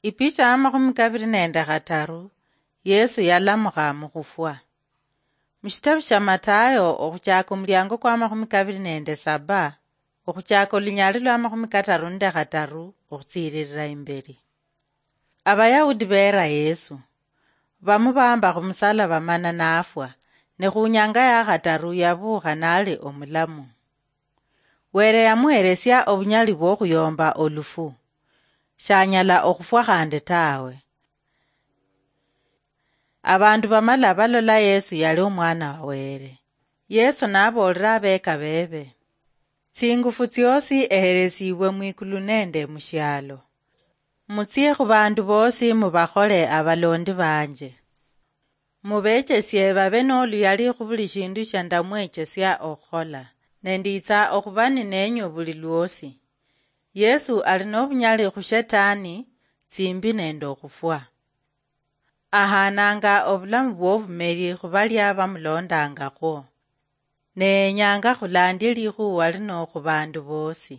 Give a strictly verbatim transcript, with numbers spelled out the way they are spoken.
Ipicha ya makhumi kabiri nende khataru, Yesu yalamukha mukhufwa. Mushitabu sha Matayo, okhuchaka omuliango kwa makhumi kabiri nende saba, okhuchaka olunyali lwa makhumi kataru nende khataru, okhutsiririra imberi. Abayahudi beera Yesu, bamubamba khumusalaba mana nafwa, ne khunyanga ya khataru yabuukha nali omulamu. Were yamuheresia obunyali bwokhuyomba olufu. Shanyala okhufwa khandi tawe. Abandu bamala balola Yesu yali omwana wa Were. Yesu naboolera abeka bebe, "Tsingufu tsiosi eheresibwe mwikulu nende mushialo. Mutsie khubandu bosi mubakhole abalondi banje. Mubechesie babe noluyali khubuli shindu shia ndamwechesia okhukhola, ne nditsa okhuba ninenyu buli lwosi." Yesu ali nobunyali khu shetani, tsimbi nende okhufwa. Ahananga obulamu bwobumeri khubalia bamulondangakhwo. Ne yenyanga khulandie likhuwa lino khubandu bosi.